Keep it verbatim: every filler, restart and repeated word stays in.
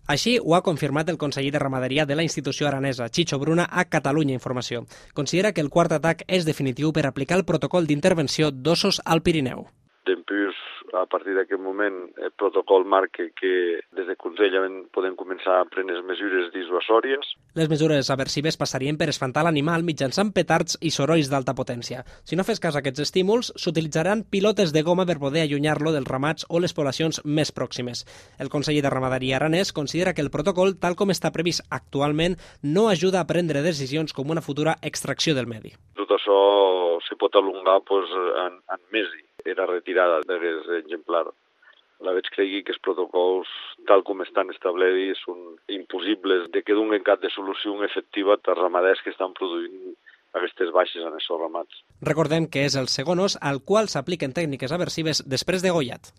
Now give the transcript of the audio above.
Així ho ha confirmat el conseller de Ramaderia de la institució aranesa, Chicho Bruna, a Catalunya Informació. Considera que el quart atac és definitiu per aplicar el protocol d'intervenció d'ossos al Pirineu. Dempús, a partir d'aquest moment, el protocol marca que des del Consell podem començar a prendre mesures dissuasòries. Les mesures aversives passarien per espantar l'animal mitjançant petards i sorolls d'alta potència. Si no fes cas a aquests estímuls, s'utilitzaran pilotes de goma per poder allunyar-lo dels ramats o les poblacions més pròximes. El conseller de Ramaderia aranès considera que el protocol, tal com està previst actualment, no ajuda a prendre decisions com una futura extracció del medi. Tot això se pot alongar pues, en, en mesos. Era retirada d'aquest exemplar. La veig cregui que els protocols, tal com estan establerts, són impossibles de que donen cap de solució efectiva als ramaders que estan produint aquestes baixes en aquests ramats. Recordem que és el segon os al qual s'apliquen tècniques aversives després de degollat.